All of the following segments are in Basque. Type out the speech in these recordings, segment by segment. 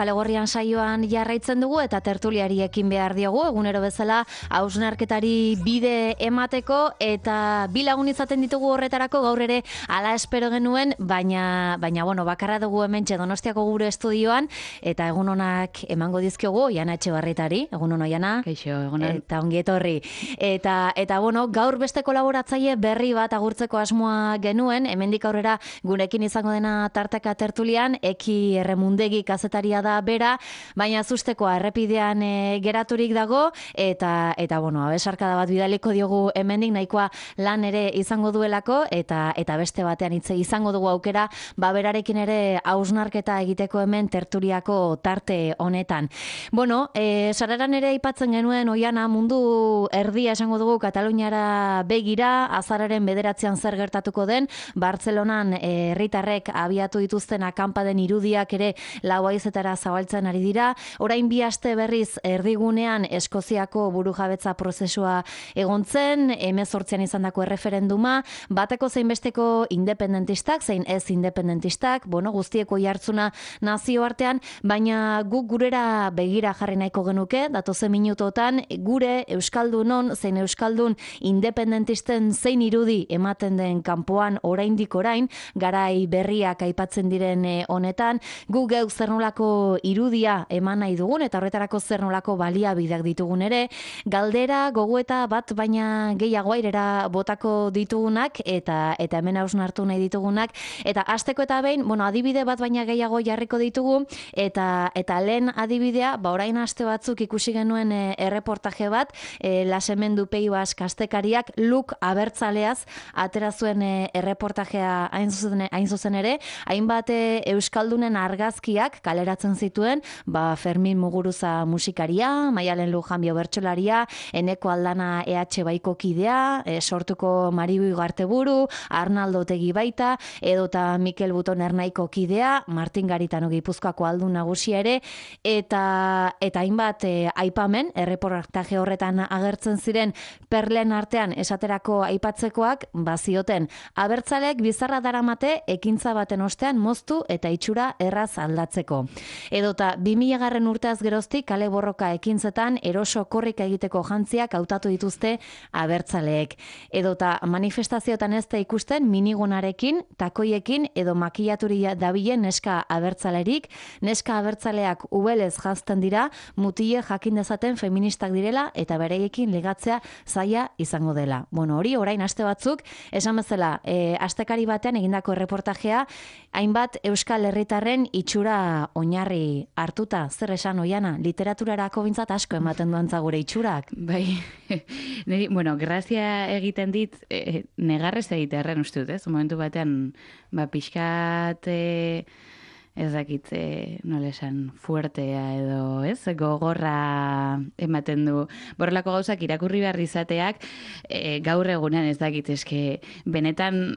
Kalegorrian saioan jarraitzen dugu eta tertuliari ekin behar diogu, egunero bezala hausnarketari bide emateko eta bi lagun izaten ditugu horretarako gaur ere hala espero genuen, baina bueno, bakarra dugu hementxe Donostiako gure estudioan eta egun onak emango dizkiogu Oiana Etxebarrietari, egun on Oiana. Kaixo, egun on. Eta ongi etorri. Eta bueno, gaur beste kolaboratzaile berri bat agurtzeko asmoa genuen, hemendik aurrera gurekin izango dena tarteka tertulian, Eki Erremundegi kazetaria da bera, baina zustekoa errepidean geraturik dago eta bueno, abesarkada bat bidaliko diogu hemendik nahikoa lan ere izango duelako eta beste batean hitze izango dugu aukera, berarekin ere hausnarketa egiteko hemen tertuliako tarte honetan. Bueno, sararan ere aipatzen genuen Oiana mundu erdia esango dugu Kataluniara begira, azararen 9an zer gertatuko den, Bartzelonan herritarrek abiatu dituzten akanpaden irudiak ere lau haizetara zabaltzen ari dira. Orain bi aste berriz erdigunean Eskoziako burujabetza prozesua egontzen, 18an izandako erreferenduma, bateko zein besteko independentistak, zein ez independentistak, bueno, guztieko jartzuna nazioartean, baina guk gurera begira jarri nahiko genuke, datozen minutotan, gure Euskaldunon, zein Euskaldun independentisten zein irudi ematen den kanpoan oraindik orain, garai berriak aipatzen diren honetan, guk geuk zer nolako irudia eman nahi dugun eta horretarako zer nolako baliabideak ditugun ere, galdera, gogoeta bat baina gehiago airera botako ditugunak eta hemen hausnartu nahi ditugunak, eta hasteko eta behin, bueno, adibide bat baina gehiago jarriko ditugu eta lehen adibidea, orain aste batzuk ikusi genuen erreportaje bat, Lasemendu Peibas kastekariak Luk abertzaleaz atera zuen erreportajea hain zuzen ere, hainbat euskaldunen argazkiak kaleratzen zituen, Fermin Muguruza musikaria, Maialen Lujanbio bertsolaria, Eneko Aldana EH Baiko kidea, sortuko Maribu Garteburu, Arnaldo Otegi baita, edota Mikel Buton Ernaiko kidea, Martin Garitano Gipuzkoako aldun nagusia ere, eta hainbat aipamen, erreportaje horretan agertzen ziren perlen artean esaterako aipatzekoak, bazioten, abertzaleek bizarra daramate ekintza baten ostean moztu eta itxura erraz aldatzeko. Edota 2000 urteaz geroztik kale borroka ekintzetan eroso korrika egiteko jantziak hautatu dituzte abertzaleek. Edota manifestazioetan ez da ikusten minigonarekin, takoiekin edo makillaturia dabilen neska abertzalerik, neska abertzaleak ubelez jazten dira, mutile jakin dezaten feministak direla eta bereiekin ligatzea zaila izango dela. Bueno, hori orain aste batzuk, esan bezala, astekari batean egindako erreportajea, hainbat euskal herritarren itxura oinarri hartuta, zer esan Oiana, literaturarako bintzat asko ematen duantza gure itxurak. Bai, niri, bueno, grazia egiten dit, negarrez egitearren uste dut, ez? Momentu batean, pixkat, ez dakit, nola esan, fuertea edo, ez? Gogorra ematen du. Borrelako gauzak irakurri behar izateak, gaur egunean ez dakit, eske, benetan,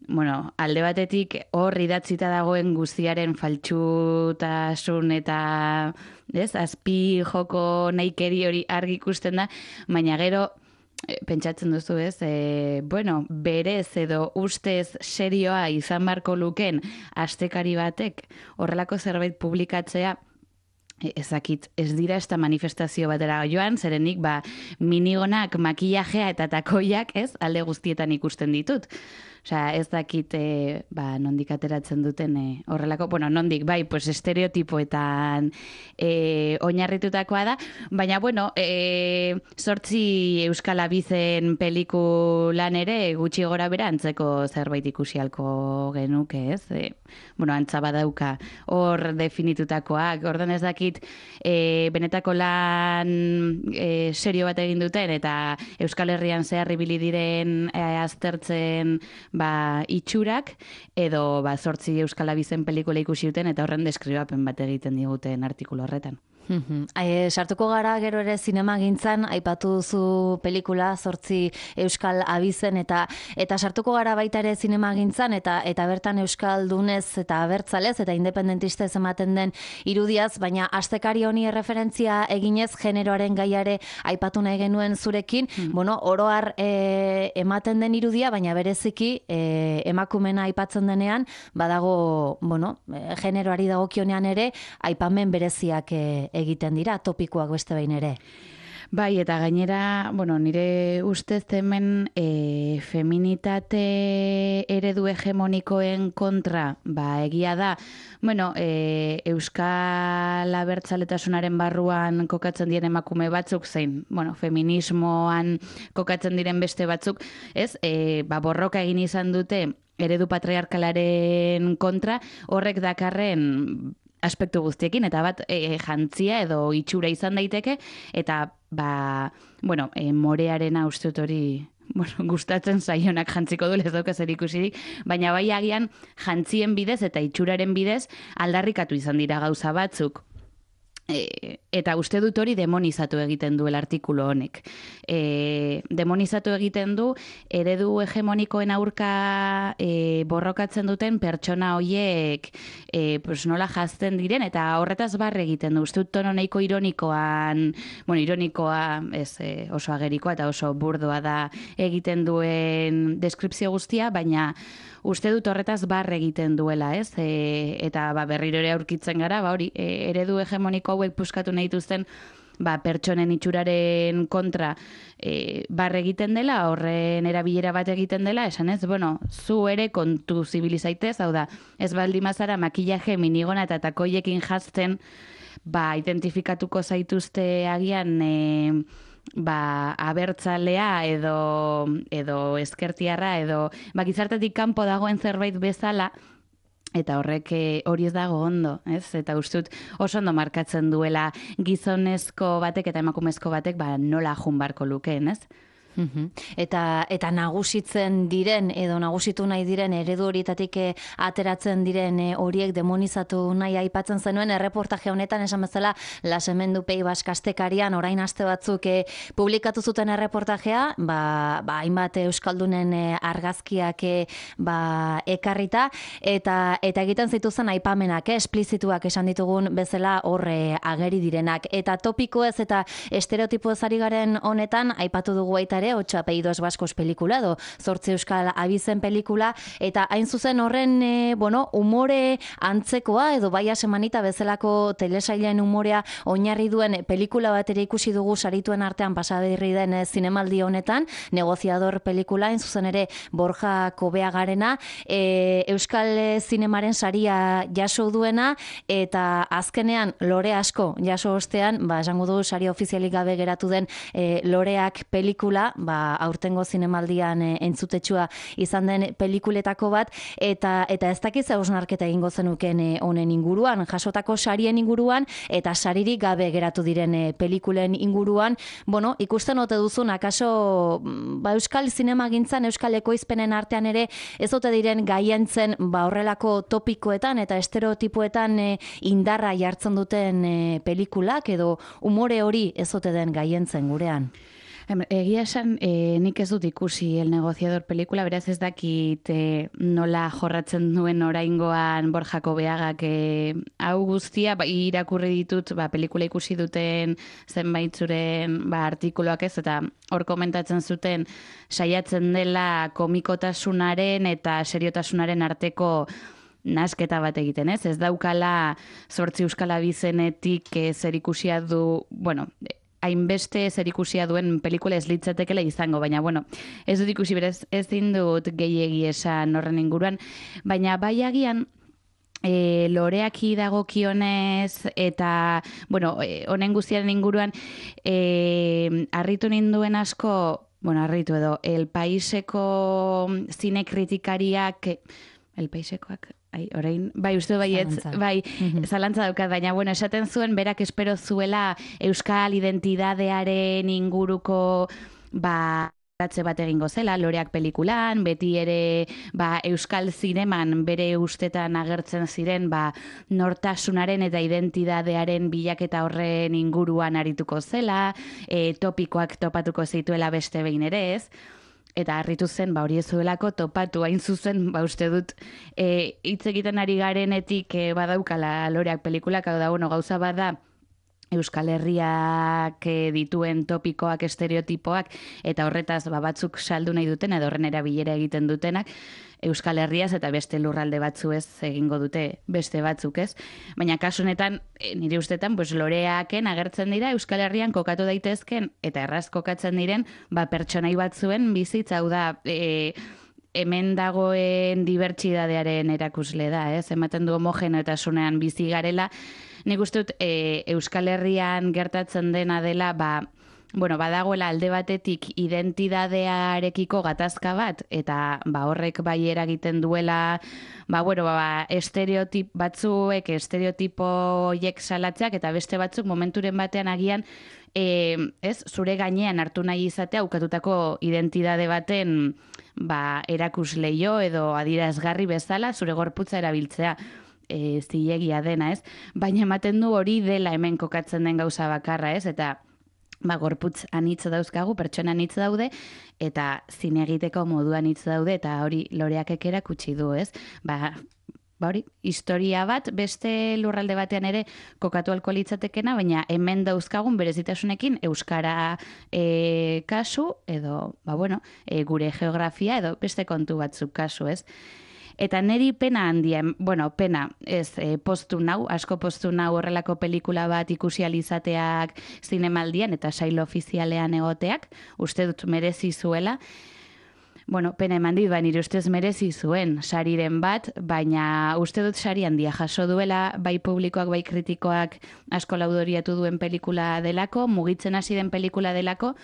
bueno, alde batetik hor idatzita dagoen guztiaren faltsutasun eta azpi joko nahikeri hori argi ikusten da, baina gero pentsatzen duzu ez, bueno, berez edo ustez serioa izan beharko luken astekari batek horrelako zerbait publikatzea, ezakit, ez dira ez da manifestazio batera joan, zerenik minigonak, makillajea eta takoiak, ez, alde guztietan ikusten ditut. Osea, ez dakit nondik ateratzen duten horrelako, bueno, nondik, pues estereotipoetan oinarritutakoa da, baina, bueno, 8 Euskal Abizen pelikulan ere gutxi gora bera antzeko zerbait ikusialko genuke, ez? Bueno, antza badauka hor definitutakoak, ordan ez dakit benetako lan serio bat egin duten eta Euskal Herrian zehar ibili diren aztertzen itxurak, edo 8 Euskal Abizen pelikula ikusi duten eta horren deskribapen bat egiten diguten artikulu horretan. Sartuko gara gero ere zinema gintzan, aipatu duzu pelikula, 8 euskal abizen, eta sartuko gara baita ere zinema gintzan, eta bertan euskaldunez eta abertzalez, eta independentistez ematen den irudiaz, baina astekari honi referentzia eginez, generoaren gaiare aipatu nahi genuen zurekin, bueno, oroar ematen den irudia, baina bereziki emakumena aipatzen denean, badago, bueno, generoari dagokionean ere, aipamen bereziak egiten dira, topikoak beste behin ere. Bai, eta gainera, bueno, nire ustez hemen feminitate eredu hegemonikoen kontra, egia da, bueno, euskal abertzaletasunaren barruan kokatzen diren emakume batzuk zein, bueno, feminismoan kokatzen diren beste batzuk, ez, borroka egin izan dute eredu patriarkalaren kontra, horrek dakarren aspektu guztiekin, eta bat jantzia edo itxura izan daiteke, eta bueno, morearena uste dut hori gustatzen zaionak jantziko du, ez dauka zer ikusirik, baina bai agian jantzien bidez eta itxuraren bidez aldarrikatu izan dira gauza batzuk. Eta uste dut hori demonizatu egiten du artikulu honek. Demonizatu egiten du eredu hegemonikoen aurka borrokatzen duten pertsona hoiek nola jazten diren, eta horretaz barre egiten du. Uste dut tono nahiko ironikoan, bueno, ironikoa ez oso agerikoa eta oso burdoa da egiten duen deskripzio guztia, baina uste dut horretaz barre egiten duela, ez? Eta berriro ere aurkitzen gara, hori, eredu hegemoniko hauek puskatu nahi dituzten pertsonen itxuraren kontra barre egiten dela, horren erabilera bat egiten dela, esan ez, bueno, zu ere kontu zibilizaitez, hau da, ez baldin mazara makillaje minigona eta takoiekin jazten, identifikatuko zaituzte agian abertzalea edo eskertiarra edo gizartetik kanpo dagoen zerbait bezala, eta horrek hori ez dago ondo, ez? Eta ustut oso ondo markatzen duela gizonezko batek eta emakumezko batek nola jun barko lukeen, ez? Eta nagusitzen diren edo nagusitu nahi diren eredu horietatik ateratzen diren horiek demonizatu nahi aipatzen zenuen erreportaje honetan, esan bezala Las Hemendu Pei Bask astekarian orain aste batzuk publikatu zuten erreportajea, hainbat euskaldunen argazkiak ekarrita eta egiten zituzen aipamenak, esplizituak esan ditugun bezala horre ageri direnak, eta topikoez eta estereotipoez ari garen honetan aipatu dugu baita ere 8 apellidos vascos pelikula, 8 euskal abizen pelikula, eta hain zuzen horren, umore antzekoa, edo baia semanita bezalako telesailen umorea oinarri duen pelikula bat ere ikusi dugu sarituen artean pasaberri den zinemaldi honetan, Negociador pelikula, hain zuzen ere Borja Kobeagarena, euskal zinemaren saria jaso duena, eta azkenean lore asko jaso ostean, esango du sari ofizialik gabe geratu den loreak pelikula, aurtengo zinemaldian entzutetsua izan den pelikuletako bat, eta ez dakiz hausnarketa egingo zenuken honen inguruan, jasotako sarien inguruan, eta saririk gabe geratu diren pelikulen inguruan, ikusten ote duzun, akaso euskal zinemagintzan, euskal ekoizpenen artean ere, ez ote diren gaientzen horrelako topikoetan eta estereotipoetan indarra jartzen duten pelikulak, edo umore hori ez ote den gaientzen gurean? Egia esan, nik ez dut ikusi El Negociador pelikula, beraz ez dakit nola jorratzen duen oraingoan Borja Kobeagak hau guztia, irakurri ditut pelikula ikusi duten zenbaitzuren artikuluak ez, eta hor komentatzen zuten saiatzen dela komikotasunaren eta seriotasunaren arteko nasketa bat egiten, ez? Ez daukala 8 euskal abizenetik zer ikusia du, hainbeste zer ikusia duen pelikula ez litzatekela izango, baina, ez dut ikusi berez, ez dut gehiegi esan horren inguruan, baina bai agian loreaki dagokionez eta, honen guztiaren inguruan, harritu ninduen asko, harritu edo, El Paiseko zine kritikariak, El Paisekoak, orain, uste baietz, zalantza daukat, baina, esaten zuen, berak espero zuela euskal identidadearen inguruko, atze bat egingo zela, Loreak pelikulan, beti ere euskal zineman bere ustetan agertzen ziren nortasunaren eta identidadearen bilaketa horren inguruan arituko zela, topikoak topatuko zituela beste behin ere ez, eta harritu zen hori ez zuelako topatu hain zuzen uste dut hitz egiten ari garenetik badaukala Loreak pelikulak, hau da, gauza bada Euskal Herriak dituen topikoak, estereotipoak, eta horretaz batzuk saldu nahi duten, edo horren erabilera egiten dutenak, Euskal Herriaz eta beste lurralde batzu ez egingo dute beste batzuk ez. Baina kasu honetan, nire ustetan, Loreaken agertzen dira Euskal Herrian kokatu daitezken, eta erraz kokatzen diren, pertsonai batzuen bizitza, hau da, hemen dagoen dibertsidadearen erakusle da, ez? Ematen du homogeneotasunean bizi garela. Nik uste dut Euskal Herrian gertatzen dena dela, badagoela alde batetik identidadearekiko gatazka bat, eta horrek bai eragiten duela, batzuek estereotipo horiek salatzeak, eta beste batzuk momenturen batean agian, zure gainean hartu nahi izatea ukatutako identidade baten erakusleio edo adierazgarri bezala zure gorputza erabiltzea. Zilegia dena, ez? Baina ematen du hori dela hemen kokatzen den gauza bakarra, ez? Eta gorputz anitz dauzkagu, pertsona anitz daude, eta zine egiteko moduan anitz daude, eta hori Loreakek erakutsi du, ez? Hori, historia bat, beste lurralde batean ere kokatu ahalko litzatekena, baina hemen dauzkagun berezitasunekin euskara kasu, edo, gure geografia, edo beste kontu batzuk kasu, ez? Eta niri pena handia, pena, ez, asko postu nau horrelako pelikula bat ikusi alizateak zinemaldian eta sail ofizialean egoteak, uste dut merezi zuela. Pena eman dit, nire ustez merezi zuen sariren bat, baina uste dut sari handia jaso duela, bai publikoak, bai kritikoak asko laudoriatu duen pelikula delako, mugitzen hasi den pelikula delako,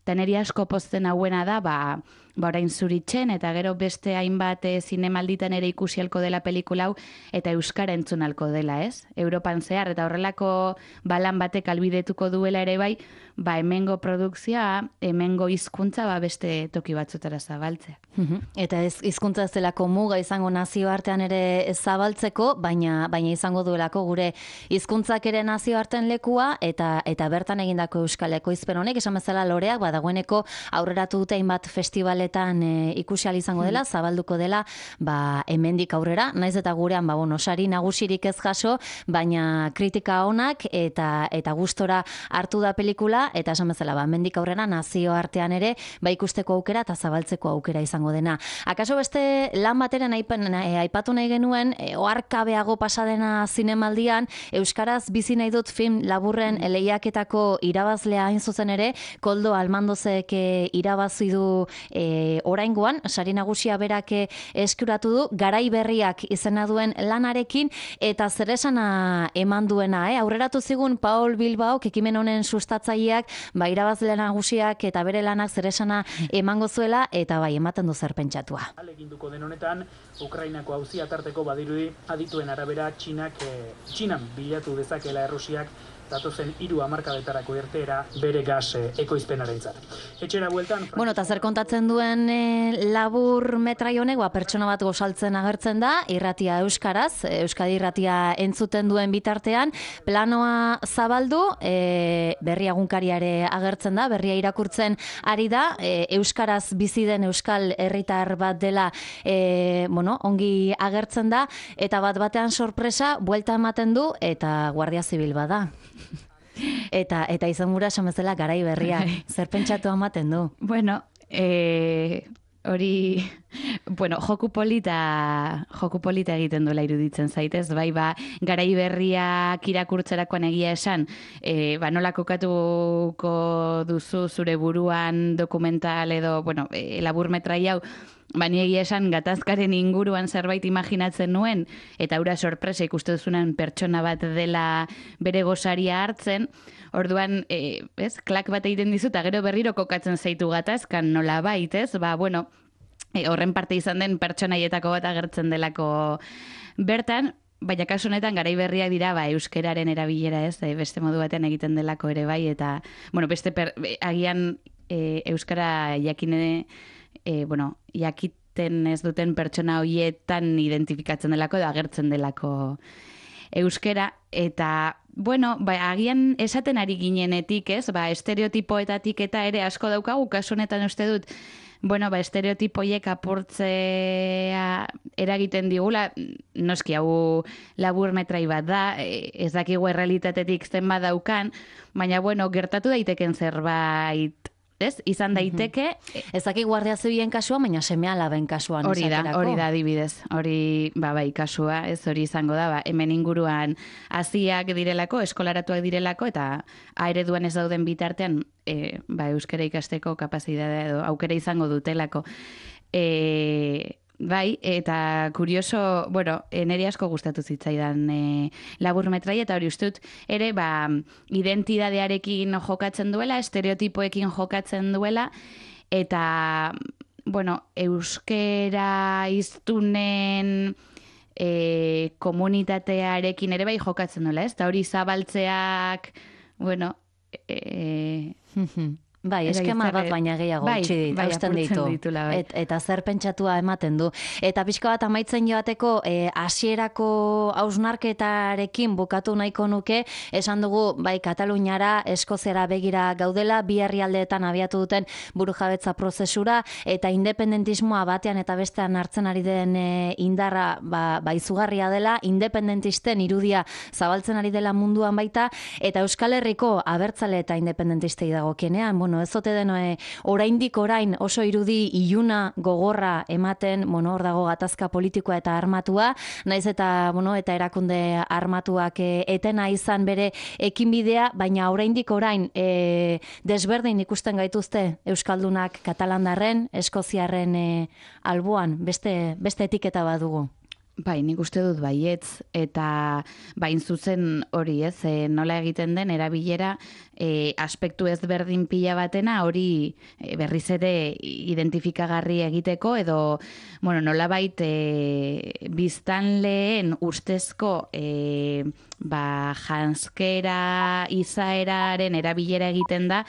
eta niri asko pozten hauena da, orain zuritzen, eta gero beste hainbat zinemalditan ere ikusi halko dela pelikula hau, eta euskara entzun halko dela, ez? Europan zehar, eta horrelako lan batek albidetuko duela ere bai, hemengo produkzioa, hemengo hizkuntza beste toki batzutara zabaltzea. Eta hizkuntza ez delako muga izango nazioartean ere zabaltzeko, baina izango duelako gure hizkuntzak ere nazioartean lekua, eta bertan egindako euskal ekoizpen honek, esan bezala Loreak, dagoeneko aurreratu dute hainbat festivaletan ikusi ahal izango dela, zabalduko dela, hemendik aurrera, naiz eta gurean, sari nagusirik ez jaso, baina kritika onak eta gustora hartu da pelikula, eta esan bezala, hemendik aurrera nazioartean ere, ikusteko aukera eta zabaltzeko aukera izango dena. Akaso beste lan bateren aipatu nahi genuen, oharkabeago pasadena zinemaldian, euskaraz bizi nahi dut film laburren lehiaketako irabazlea hain zuzen ere, Koldo Almandozek irabazi du oraingoan, sari nagusia berak eskuratu du, Garai berriak izena duen lanarekin, eta zeresana eman duena, aurreratu zigun Paul Bilbaok, ekimen honen sustatzaileak, irabazle nagusiak eta bere lanak zeresana emango zuela, eta ematen du zer pentsatua. Aleginduko den honetan, Ukrainako auzia tarteko badirudi adituen arabera Txinan bilatu dezakela Errusiak datozen 3 hamarkadetarako irteera bere gas ekoizpenarentzat. Etxera bueltan... Eta zer kontatzen duen labur metrai honek, pertsona bat gozaltzen agertzen da, irratia euskaraz, Euskadi irratia entzuten duen bitartean, planoa zabaldu, berria egunkariare agertzen da, berria irakurtzen ari da, euskaraz bizi den euskal herritar bat dela, ongi agertzen da, eta batean sorpresa, buelta ematen du, eta Guardia Zibil bada. Eta izan gura esan bezala Garai berria, zer pentsatu ematen du? Hori, joku polita egiten duela iruditzen zaitez, Garai berriak irakurtzerakoan egia esan, nola kokatuko duzu zure buruan dokumental edo, labur metrai hau, ni egia esan gatazkaren inguruan zerbait imaginatzen nuen, eta hura sorpresa ikusten duzunan pertsona bat dela bere gosaria hartzen, orduan, klak bat egiten dizu, eta gero berriro kokatzen zaitu gatazkan nola baitez, horren parte izan den pertsonaietako bat agertzen delako bertan, baina kasu honetan Garai berriak dira euskeraren erabilera, beste modu batean egiten delako ere bai, eta beste agian euskara jakine, jakiten ez duten pertsona horietan identifikatzen delako edo agertzen delako euskera, eta agian esaten ari ginenetik, ez? Estereotipoetatik eta ere asko daukagu, kasu honetan uste dut, estereotipoiek apurtzea eragiten digula, noski hau labur metrai bat da, ez dakigu errealitatetik zenbat daukan, baina gertatu daiteken zerbait, ez? Izan daiteke... Ez daki guardia zibien kasua, baina seme-alaben kasuan. Hori da adibidez. Hori, kasua, ez hori izango da, hemen inguruan haziak direlako, eskolaratuak direlako, eta ereduan ez dauden bitartean, euskara ikasteko kapazitatea edo aukera izango dutelako. Eta kurioso, niri asko gustatu zitzaidan laburmetrai, eta hori ustut ere, identidadearekin jokatzen duela, estereotipoekin jokatzen duela, eta, euskera iztunen komunitatearekin ere jokatzen duela, ez? Eta hori zabaltzeak, eskema bat baina gehiago utzi hausten ditu. Eta zer pentsatua ematen du. Eta pixka bat amaitzen joateko hasierako hausnarketarekin bukatu nahiko nuke, esan dugu Kataluniara, Eskoziara begira gaudela, bi herrialdeetan abiatu duten burujabetza prozesura, eta independentismoa batean eta bestean hartzen ari den indarra izugarria dela, independentisten irudia zabaltzen ari dela munduan baita, eta Euskal Herriko abertzale eta independentistei dagokienean, ez ote den oraindik orain oso irudi iluna gogorra ematen, hor dago gatazka politikoa eta armatua, naiz eta erakunde armatuak etena izan bere ekinbidea, baina oraindik orain desberdin ikusten gaituzte euskaldunak katalandarren, eskoziarren alboan, beste etiketa bat dugu. Nik uste dut baietz, eta zuzen hori ez, nola egiten den erabilera aspektu ezberdin pila batena hori berriz ere identifikagarri egiteko, edo nolabait biztanleen ustezko janskera izaeraren erabilera egiten da,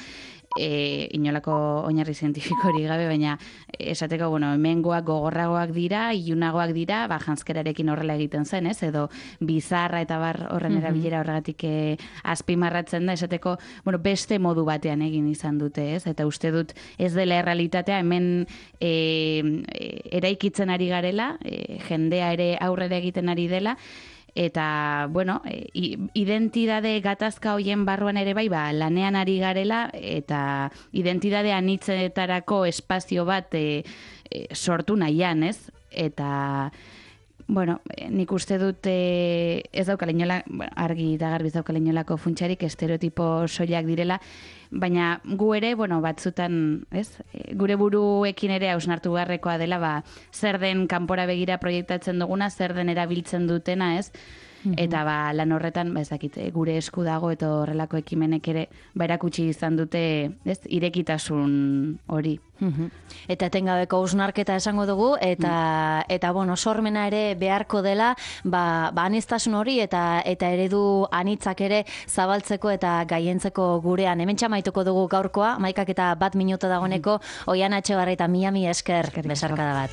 inolako oinarri zientifikorik gabe, baina esateko, hemengoak gogorragoak dira, ilunagoak dira, janskerarekin horrela egiten zen, ez? Edo bizarra eta horren erabilera horregatik azpimarratzen da, esateko, beste modu batean egin izan dute, ez? Eta uste dut ez dela errealitatea, hemen eraikitzen ari garela, jendea ere aurrera egiten ari dela, eta, identidade gatazka hoien barruan ere lanean ari garela, eta identidade anitzetarako espazio bat sortu nahian, ez? Eta, nik uste dut ez daukala inola, argi eta garbi ez daukala inolako funtsarik, estereotipo soilak direla, baina gu ere, batzutan, ez? Gure buruekin ere hausnartu beharrekoa dela, zer den kanpora begira proiektatzen duguna, zer den erabiltzen dutena, ez? Eta lan horretan, ez dakit, gure esku dago eta horrelako ekimenek ere erakutsi izan dute, ez, irekitasun hori. Eta etengabeko hausnarketa esango dugu, eta sormena ere beharko dela, aniztasun hori eta eredu anitzak ere zabaltzeko eta gaientzeko gurean. Hemen txamaituko dugu gaurkoa, 11 eta 1 minutu dagoeneko, Oiana Etxebarri eta Miami esker, besarkada bat.